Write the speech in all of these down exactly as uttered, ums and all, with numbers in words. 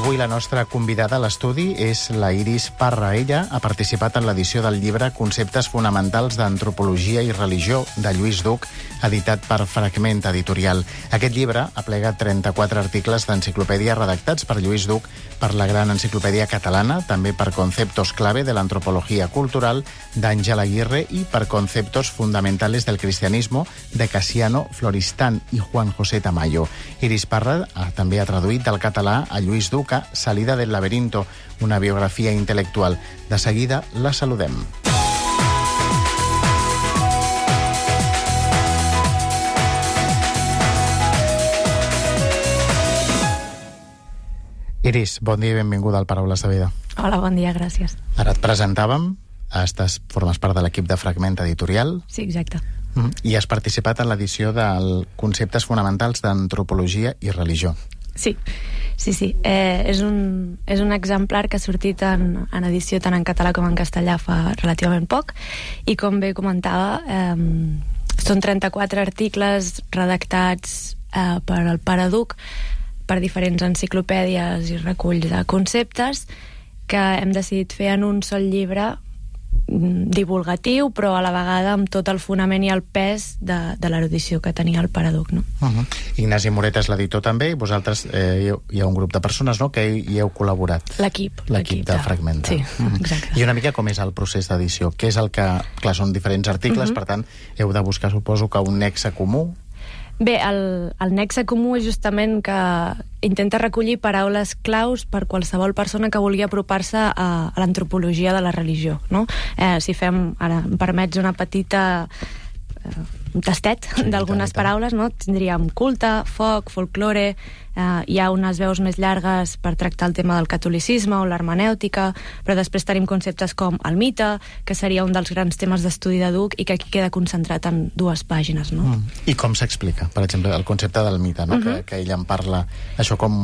avui la nostra convidada a l'estudi és la Iris Parra. Ella ha participat en l'edició del llibre Conceptes fonamentals d'antropologia i religió de Lluís Duc, editat per Fragment Editorial. Aquest llibre aplega trenta-quatre articles d'enciclopèdia redactats per Lluís Duc per la Gran Enciclopèdia Catalana, també per Conceptos clave de l'antropología cultural d'Àngel Aguirre i per Conceptos fundamentales del cristianismo de Casiano Floristán i Juan José Tamayo. Iris Parra també ha traduït del català a Lluís Duc a Salida del laberinto, una biografia intel·lectual. De seguida la saludem. Iris, bon dia i benvinguda al Paraules de Vida. Hola, bon dia, gràcies. Ara et presentàvem, estàs, formes part de l'equip de Fragment Editorial. Sí, exacte. I has participat en l'edició del Conceptes fonamentals d'antropologia i religió. Sí, sí, sí. Eh, és, un, és un exemplar que ha sortit en, en edició tant en català com en castellà fa relativament poc, i com bé comentava, eh, són trenta-quatre articles redactats eh, per el Pare Duc, per diferents enciclopèdies i reculls de conceptes que hem decidit fer en un sol llibre divulgatiu, però a la vegada amb tot el fonament i el pes de, de l'erudició que tenia el Pare Duc, no? Uh-huh. Ignasi Moret és l'editor també, i vosaltres eh, hi ha un grup de persones, no?, que hi heu col·laborat. L'equip. L'equip de Fragment. Sí, exacte. I una mica com és el procés d'edició? Què és el que... Clar, són diferents articles, uh-huh. Per tant, heu de buscar, suposo, que un nexe comú. Bé, el, el nexe comú és justament que intenta recollir paraules claus per qualsevol persona que vulgui apropar-se a, a l'antropologia de la religió, no? Eh, si fem, ara em permets una petita eh, un tastet sí, d'algunes paraules, no? Tindríem culte, foc, folklore, eh, hi ha unes veus més llargues per tractar el tema del catolicisme o l'hermenèutica, però després tenim conceptes com el mite, que seria un dels grans temes d'estudi de Duc i que aquí queda concentrat en dues pàgines, no? Mm. I com s'explica, per exemple, el concepte del mite, no? Uh-huh. que, que ella en parla, això com,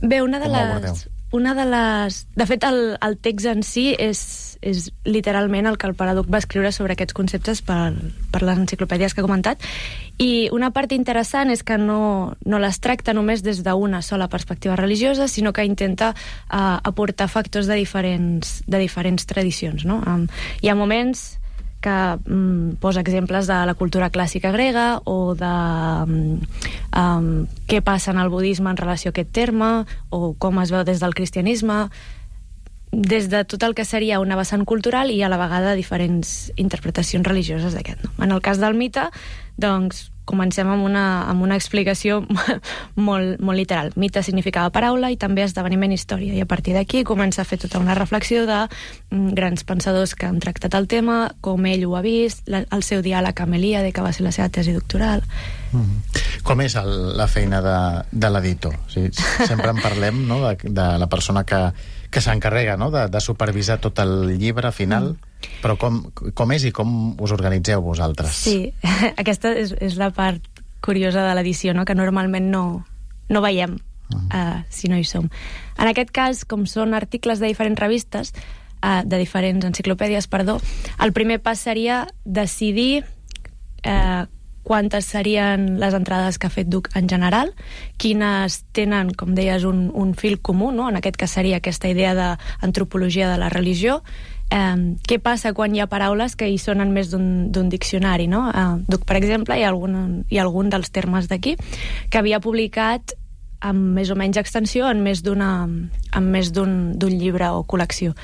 Bé, una de com les... abordeu? Una de les... De fet, el, el text en si és, és literalment el que el Pare Duc va escriure sobre aquests conceptes per, per les enciclopèdies que he comentat, i una part interessant és que no, no les tracta només des d'una sola perspectiva religiosa, sinó que intenta uh, aportar factors de diferents, de diferents tradicions, no? Um, hi ha moments que um, posa exemples de la cultura clàssica grega o de um, um, què passa en el budisme en relació a aquest terme, o com es veu des del cristianisme, des de tot el que seria una vessant cultural i a la vegada diferents interpretacions religioses d'aquest, no? En el cas del mite, doncs, comencem amb una, amb una explicació molt, molt literal. Mite significava paraula i també esdeveniment història, i a partir d'aquí comença a fer tota una reflexió de mm, grans pensadors que han tractat el tema, com ell ho ha vist, la, el seu diàleg amb Elíade, que va ser la seva tesi doctoral. Mm. Com és el, la feina de, de l'editor? O sigui, sempre en parlem, no?, de, de la persona que, que s'encarrega, no?, de, de supervisar tot el llibre final, mm. Però com, com és i com us organitzeu vosaltres? Sí, aquesta és, és la part curiosa de l'edició, no?, que normalment no, no veiem uh-huh. uh, si no hi som. En aquest cas, com són articles de diferents revistes, uh, de diferents enciclopèdies, perdó, el primer pas seria decidir uh, quantes serien les entrades que ha fet Duc en general, quines tenen, com deies, un, un fil comú, no?, en aquest cas seria aquesta idea d'antropologia de la religió. Eh, què passa quan hi ha paraules que hi sonen més d'un diccionari, no? Eh, Duc, per exemple, hi ha algun, hi ha algun dels termes d'aquí que havia publicat amb més o menys extensió en més d'una en més d'un llibre o col·lecció.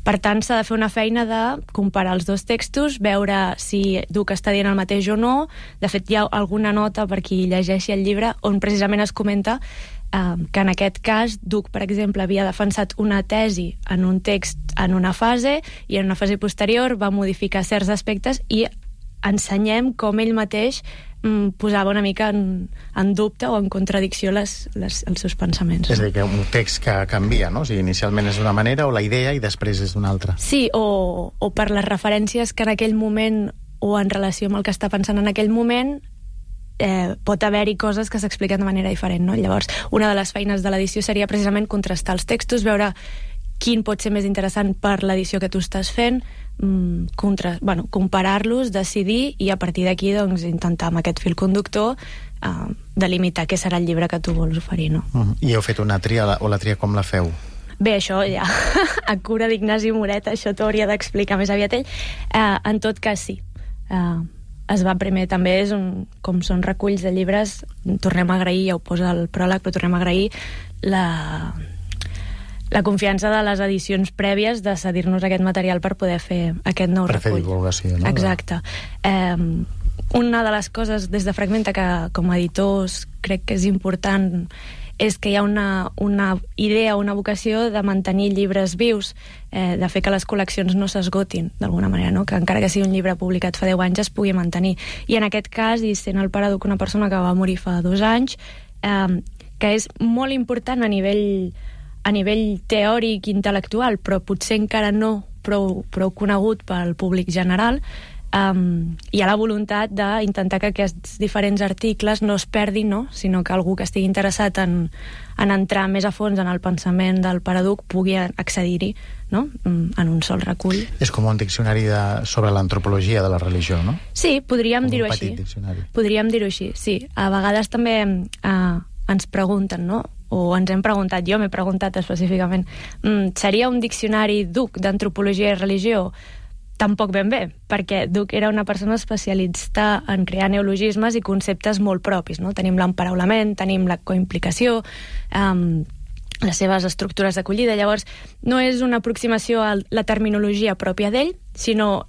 Per tant, s'ha de fer una feina de comparar els dos textos, veure si Duc està dient el mateix o no. De fet, hi ha alguna nota per qui llegeixi el llibre on precisament es comenta eh, que en aquest cas Duc, per exemple, havia defensat una tesi en un text en una fase i en una fase posterior va modificar certs aspectes i ensenyem com ell mateix mm, posava una mica en, en dubte o en contradicció les, les, els seus pensaments. És a dir, que un text que canvia, no? O sigui, inicialment és d'una manera o la idea i després és d'una altra. Sí, o, o per les referències que en aquell moment o en relació amb el que està pensant en aquell moment eh, pot haver-hi coses que s'expliquen de manera diferent, no? Llavors, una de les feines de l'edició seria precisament contrastar els textos, veure quin pot ser més interessant per l'edició que tu estàs fent, contra, bueno, comparar-los, decidir i a partir d'aquí doncs, intentar amb aquest fil conductor uh, delimitar què serà el llibre que tu vols oferir, no? Uh-huh. I heu fet una tria, o la tria com la feu? Bé, això ja, a cura d'Ignasi Moret, això t'ho hauria d'explicar més aviat ell. Uh, en tot cas, sí. Uh, es va primer, també és un, com són reculls de llibres, tornem a agrair, ja ho posa el pròleg, però tornem a agrair la, la confiança de les edicions prèvies de cedir-nos aquest material per poder fer aquest nou per recull. Per fer divulgació, no? Exacte. Um, una de les coses des de Fragmenta que com a editors crec que és important és que hi ha una, una idea, una vocació de mantenir llibres vius, eh, de fer que les col·leccions no s'esgotin, d'alguna manera, no? Que encara que sigui un llibre publicat fa deu anys es pugui mantenir. I en aquest cas, i sent el pare d'una persona que va morir fa dos anys, eh, que és molt important a nivell, a nivell teòric i intel·lectual, però potser encara no prou, prou conegut pel públic general, Um, hi ha la voluntat d'intentar que aquests diferents articles no es perdin, no? Sinó que algú que estigui interessat en, en entrar més a fons en el pensament del Paraduc pugui accedir-hi, no? En un sol recull. És com un diccionari de, sobre l'antropologia de la religió, no? Sí, podríem dir-ho un així. petit diccionari. Podríem dir-ho així, sí. A vegades també uh, ens pregunten, no? O ens hem preguntat, jo m'he preguntat específicament, mm, seria un diccionari Duc d'antropologia i religió? Tampoc ben bé, perquè Duc era una persona especialista en crear neologismes i conceptes molt propis, no? Tenim l'emparaulament, tenim la coimplicació, um, les seves estructures d'acollida. Llavors, no és una aproximació a la terminologia pròpia d'ell, sinó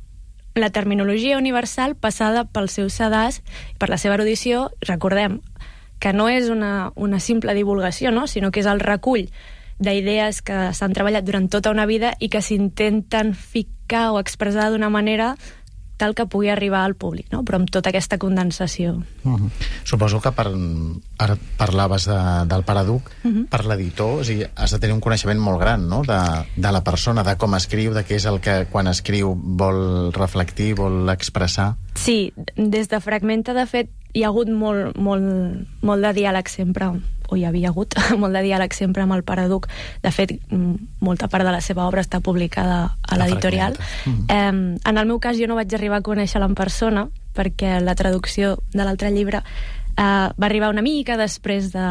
la terminologia universal passada pel seu sedàs, per la seva erudició. Recordem que no és una, una simple divulgació, no? Sinó que és el recull d'idees que s'han treballat durant tota una vida i que s'intenten ficar o expressar d'una manera tal que pugui arribar al públic, no? Però amb tota aquesta condensació. Uh-huh. Suposo que per, ara parlaves de, del Paraduc, uh-huh. per l'editor, o sigui, has de tenir un coneixement molt gran, no? de, de la persona, de com escriu, de què és el que quan escriu vol reflectir, vol expressar. Sí, des de Fragmenta, de fet, hi ha hagut molt, molt, molt de diàleg sempre, o hi havia hagut molt de diàleg sempre amb el Paraduc. De fet, molta part de la seva obra està publicada a l'editorial. Mm. Eh, en el meu cas, jo no vaig arribar a conèixer-la en persona, perquè la traducció de l'altre llibre eh, va arribar una mica després de,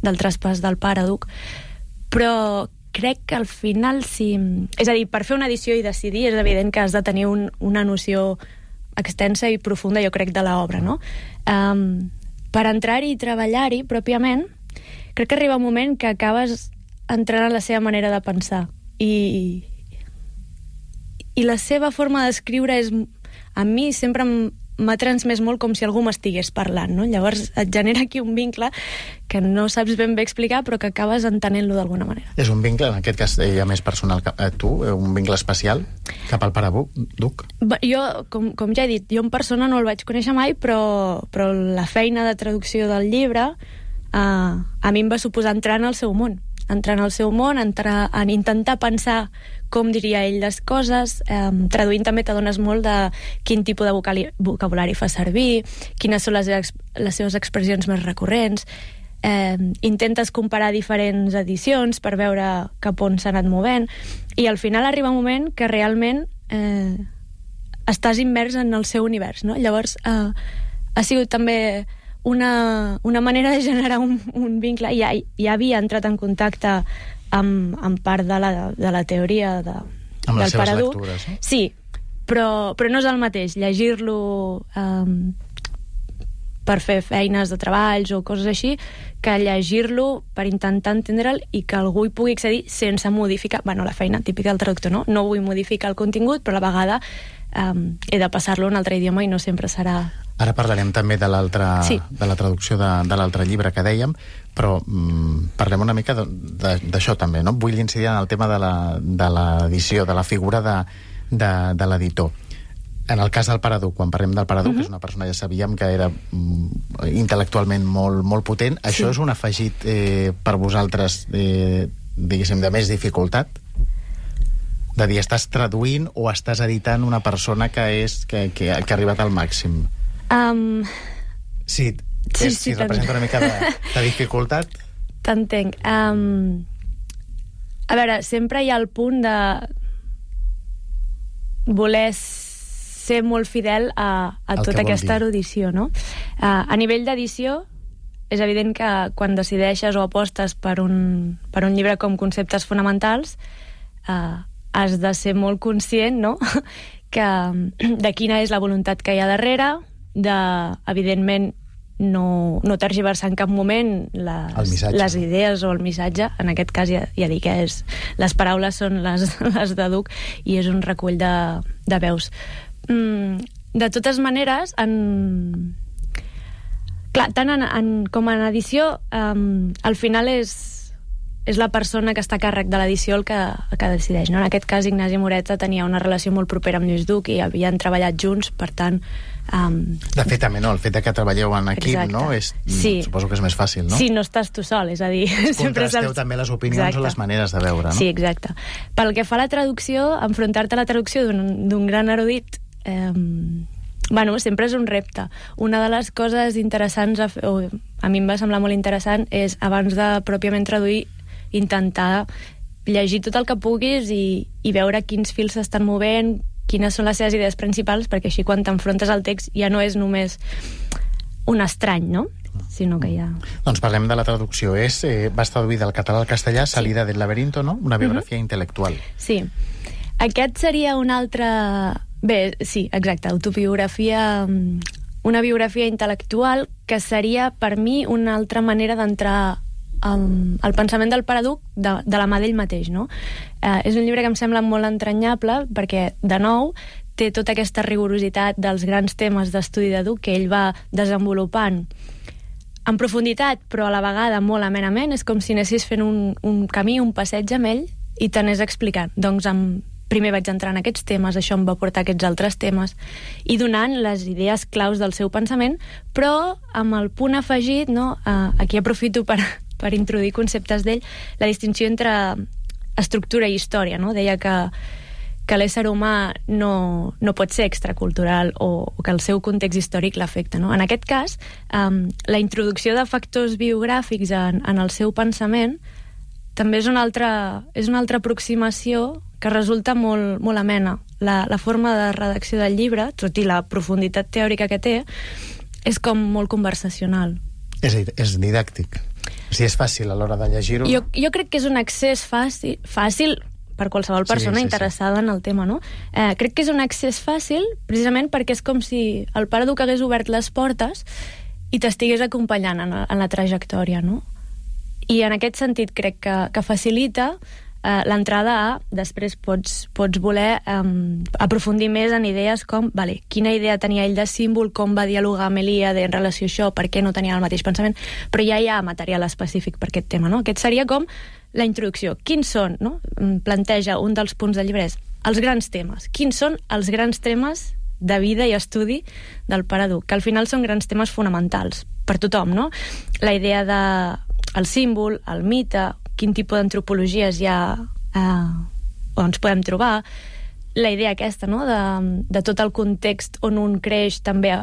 del traspàs del Paraduc, però crec que al final sí... És a dir, per fer una edició i decidir és evident que has de tenir un, una noció extensa i profunda, jo crec, de l'obra, no? Um, per entrar-hi i treballar-hi pròpiament, crec que arriba un moment que acabes entrant en la seva manera de pensar. I, i la seva forma d'escriure és... A mi sempre m'ha transmès molt com si algú m'estigués parlant, no? Llavors et genera aquí un vincle que no saps ben bé explicar, però que acabes entenent-lo d'alguna manera. És un vincle, en aquest cas, ja més personal que a tu, un vincle especial cap al Paraduc? Jo, com, com ja he dit, jo en persona no el vaig conèixer mai, però, però la feina de traducció del llibre eh, a mi em va suposar entrar en el seu món. Entrar en el seu món, entrar en intentar pensar com diria ell les coses, eh, traduint també t'adones molt de quin tipus de vocali- vocabulari fa servir, quines són les, ex- les seves expressions més recurrents, eh, intentes comparar diferents edicions per veure cap on s'ha anat movent, i al final arriba un moment que realment eh, estàs immers en el seu univers, no? Llavors eh, ha sigut també una, una manera de generar un, un vincle. Ja, ja havia entrat en contacte amb, amb part de la, de la teoria de, amb del Paraduc. Lectures, no? Sí, però, però no és el mateix llegir-lo um, per fer feines de treballs o coses així, que llegir-lo per intentar entendre'l i que algú hi pugui accedir sense modificar, bueno, la feina típica del traductor, no? No vull modificar el contingut, però a la vegada um, he de passar-lo a un altre idioma i no sempre serà... Ara parlarem també de l'altra, sí. de la traducció de, de l'altre llibre que dèiem, però mm, parlem una mica d'això també, no? Vull incidir en el tema de l'edició, de, de la figura de, de, de l'editor. En el cas del Paraduc, quan parlem del Paraduc, uh-huh. és una persona, ja sabíem que era mm, intel·lectualment molt, molt potent. Sí. Això és un afegit eh, per vosaltres, eh, diguéssim, de més dificultat? De dir, estàs traduint o estàs editant una persona que, és, que, que, que ha arribat al màxim? Um, sí, sí, és, sí, si representa una mica de, de dificultat. T'entenc. Um, a veure, sempre hi ha el punt de voler ser molt fidel a, a tota aquesta erudició, no? Uh, a nivell d'edició, és evident que quan decideixes o apostes per un, per un llibre com Conceptes fonamentals, uh, has de ser molt conscient, no?, que, de quina és la voluntat que hi ha darrere, de, evidentment, no, no tergiversar en cap moment les, les idees o el missatge. En aquest cas ja, ja dic que és, les paraules són les, les de Duc i és un recull de, de veus. Mm, de totes maneres, en... clar, tant en, en, com en edició, um, al final és, és la persona que està a càrrec de l'edició el que, el que decideix, no? En aquest cas, Ignasi Moreta tenia una relació molt propera amb Lluís Duc i havien treballat junts, per tant... Um... De fet, també, no? El fet que treballeu en equip, exacte, no? És, sí. Suposo que és més fàcil, no? Sí, no estàs tu sol, és a dir... Contrasteu també les opinions, exacte, o les maneres de veure, no? Sí, exacte. Pel que fa a la traducció, enfrontar-te a la traducció d'un gran erudit, eh, bueno, sempre és un repte. Una de les coses interessants, a, o a mi em va semblar molt interessant, és, abans de pròpiament traduir, intentar llegir tot el que puguis i, i veure quins fils s'estan movent, quines són les seves idees principals, perquè així quan t'enfrontes al text ja no és només un estrany, no? Sinó que ja... Doncs parlem de la traducció. És, eh, vas traduir del català al castellà, sí. Salida del laberinto, no? Una biografia uh-huh. intel·lectual. Sí. Aquest seria un altre... Bé, sí, exacte, autobiografia... Una biografia intel·lectual que seria, per mi, una altra manera d'entrar Um, el pensament del Paraduc de, de la mà d'ell mateix, no? Uh, és un llibre que em sembla molt entranyable perquè, de nou, té tota aquesta rigorositat dels grans temes d'estudi de Duc que ell va desenvolupant en profunditat, però a la vegada molt amenament. És com si anessis fent un, un camí, un passeig amb ell i t'anés explicant. Doncs amb, primer vaig entrar en aquests temes, això em va portar a aquests altres temes, i donant les idees claus del seu pensament, però amb el punt afegit, no? Uh, aquí aprofito per per introduir conceptes d'ell, la distinció entre estructura i història, no? Deia que, que l'ésser humà no, no pot ser extracultural o, o que el seu context històric l'afecta, no? En aquest cas, um, la introducció de factors biogràfics en, en el seu pensament també és una altra, és una altra aproximació que resulta molt, molt amena. La, la forma de redacció del llibre, tot i la profunditat teòrica que té, és com molt conversacional. És, és didàctic. Si és fàcil a l'hora de llegir-ho... Jo, jo crec que és un accés fàcil, fàcil per qualsevol persona sí, sí, interessada sí. en el tema, no? Eh, crec que és un accés fàcil precisament perquè és com si el Paraduc hagués obert les portes i t'estigués acompanyant en, en la trajectòria, no? I en aquest sentit crec que, que facilita eh, l'entrada a... Després pots, pots voler eh, aprofundir més en idees com, vale, quina idea tenia ell de símbol, com va dialogar amb Elíade en relació a això, per què no tenia el mateix pensament, però ja hi ha material específic per aquest tema, no? Aquest seria com la introducció. Quins són, no? Planteja un dels punts del llibre és els grans temes. Quins són els grans temes de vida i estudi del Paraduc? Que al final són grans temes fonamentals per tothom, no? La idea de el símbol, el mite, quin tipus d'antropologies hi ha eh, on ens podem trobar, la idea aquesta, no?, de, de tot el context on un creix també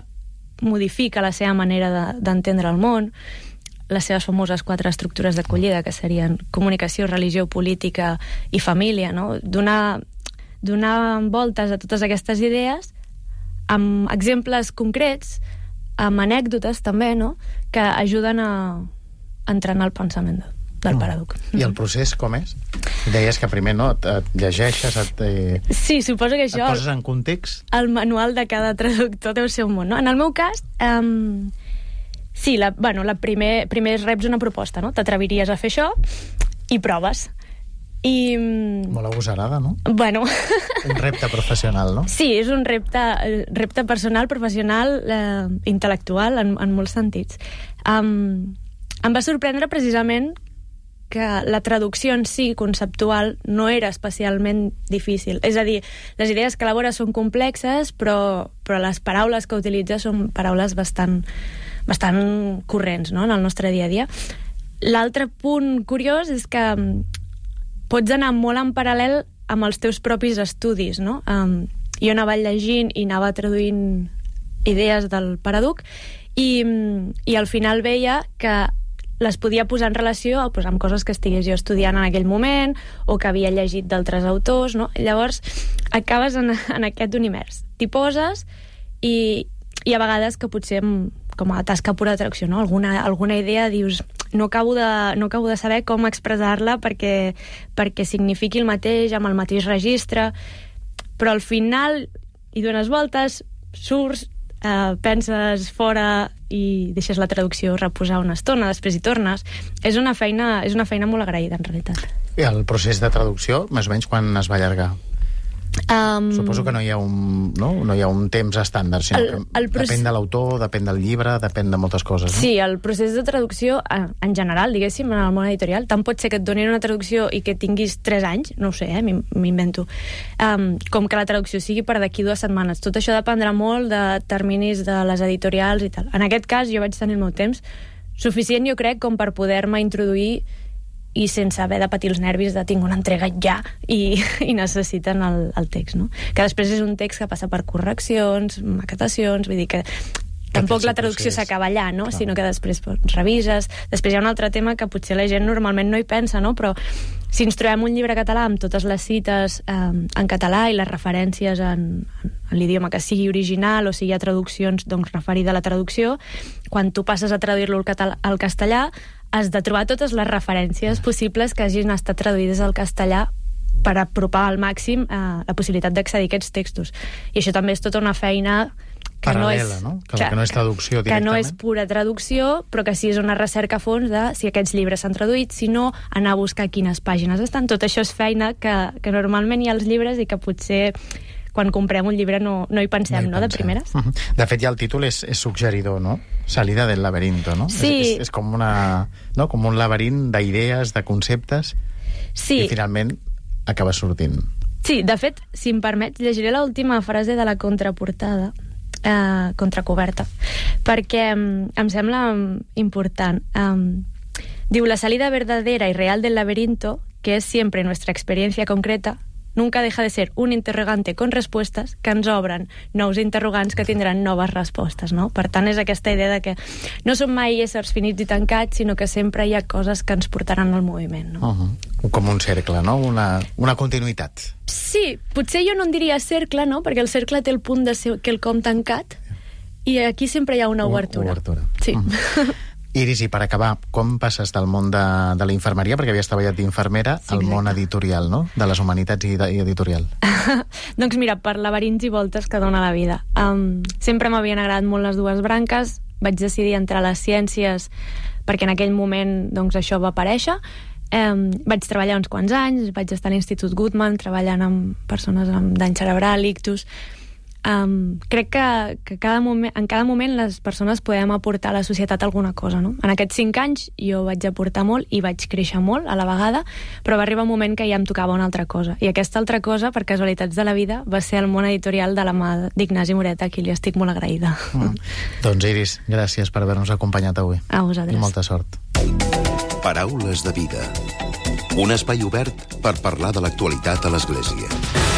modifica la seva manera d'entendre de, el món, les seves famoses quatre estructures d'acollida, que serien comunicació, religió, política i família, no? Donar, donar voltes a totes aquestes idees amb exemples concrets, amb anècdotes també, no?, que ajuden a entrenar el pensament del Paraduc. I el procés com és? Deies que primer, no?, et llegeixes, et, eh, sí, suposo que això, et poses en context. El manual de cada traductor deu ser un món, no? En el meu cas, um, sí, la, bueno, la primer, primer reps una proposta, no? T'atreviries a fer això i proves. I... Molt agosarada, no? Bueno... Un repte professional, no? Sí, és un repte, repte personal, professional, eh, intel·lectual, en, en molts sentits. Um, em va sorprendre precisament que la traducció en si, conceptual, no era especialment difícil. És a dir, les idees que elabora són complexes, però, però les paraules que utilitza són paraules bastant, bastant corrents, no?, en el nostre dia a dia. L'altre punt curiós és que pots anar molt en paral·lel amb els teus propis estudis, no? Um, jo anava llegint i anava traduint idees del Paraduc i, i al final veia que les podia posar en relació pues, amb coses que estigués jo estudiant en aquell moment o que havia llegit d'altres autors, no? Llavors acabes en, en aquest univers. T'hi poses i, i a vegades que potser com a tasca pura de traducció, no? alguna, alguna idea dius no acabo de, no acabo de saber com expressar-la perquè, perquè signifiqui el mateix, amb el mateix registre, però al final hi dones voltes, surts, eh, penses fora i deixes la traducció reposar una estona, després hi tornes. És una feina, és una feina molt agraïda, en realitat. I el procés de traducció, més o menys, quan es va allargar? Um, Suposo que no hi ha un, no? No hi ha un temps estàndard, sinó el, el que depèn de l'autor, depèn del llibre, depèn de moltes coses. No? Sí, el procés de traducció, en general, diguéssim, en el món editorial, tant pot ser que et donin una traducció i que tinguis tres anys, no ho sé, eh, m'invento, um, com que la traducció sigui per d'aquí dues setmanes. Tot això dependrà molt de terminis de les editorials i tal. En aquest cas, jo vaig tenir el meu temps suficient, jo crec, com per poder-me introduir i sense haver de patir els nervis de tinc una entrega ja i, i necessiten el, el text, no? Que després és un text que passa per correccions, maquetacions, vull dir que tampoc la traducció s'acaba allà, no? Clar. Sinó que després pues, revises. Després hi ha un altre tema que potser la gent normalment no hi pensa, no? Però si ens trobem un llibre català amb totes les cites eh, en català i les referències en, en l'idioma que sigui original o si hi ha traduccions doncs, referida a la traducció, quan tu passes a traduir-lo al, català, al castellà has de trobar totes les referències possibles que hagin estat traduïdes al castellà per apropar al màxim eh, la possibilitat d'accedir a aquests textos. I això també és tota una feina que paral·lela, no és, no? Que, clar, que no és traducció directament. Que no és pura traducció, però que sí és una recerca a fons de si aquests llibres s'han traduït, si no, anar a buscar quines pàgines estan. Tot això és feina que, que normalment hi ha als llibres i que potser quan comprem un llibre no, no hi pensem, no, hi no pensem. De primeres. Uh -huh. De fet, ja el títol és, és suggeridor, no? Salida del laberinto, no? Sí. És, és, és com, una, no? com un laberint d'idees, de conceptes, sí. I finalment acaba sortint. Sí, de fet, si em permets, llegiré l'última frase de la contraportada, eh, contracoberta, perquè um, em sembla important. Um, diu, la salida verdadera y real del laberinto, que es siempre nuestra experiencia concreta, nunca deja de ser un interrogante con respuestas que ens obren nous interrogants que tindran noves respostes, no? Per tant, és aquesta idea de que no som mai éssers finits i tancats, sinó que sempre hi ha coses que ens portaran al moviment, no? Uh-huh. Com un cercle, no? Una, una continuïtat. Sí, potser jo no en diria cercle, no? Perquè el cercle té el punt de ser quelcom tancat i aquí sempre hi ha una obertura. Obertura. Sí. Uh-huh. Iris, i per acabar, com passes del món de, de la infermeria, perquè havies treballat d'infermera, sí, al món editorial, no? De les humanitats i, de, i editorial. Doncs mira, per laberints i voltes que dona la vida. Um, sempre m'havien agradat molt les dues branques, vaig decidir entrar a les ciències perquè en aquell moment doncs, això va aparèixer. Um, vaig treballar uns quants anys, vaig estar a l'Institut Guttmann treballant amb persones amb dany cerebral, ictus. Um, crec que, que cada moment, en cada moment les persones podem aportar a la societat alguna cosa, no? En aquests cinc anys jo vaig aportar molt i vaig créixer molt a la vegada, però va arribar un moment que ja em tocava una altra cosa. I aquesta altra cosa, per casualitats de la vida, va ser el món editorial de la mà d'Ignasi Moreta, a qui li estic molt agraïda. Mm. Doncs Iris, gràcies per haver-nos acompanyat avui. A vosaltres. I molta sort. Paraules de vida. Un espai obert per parlar de l'actualitat a l'Església.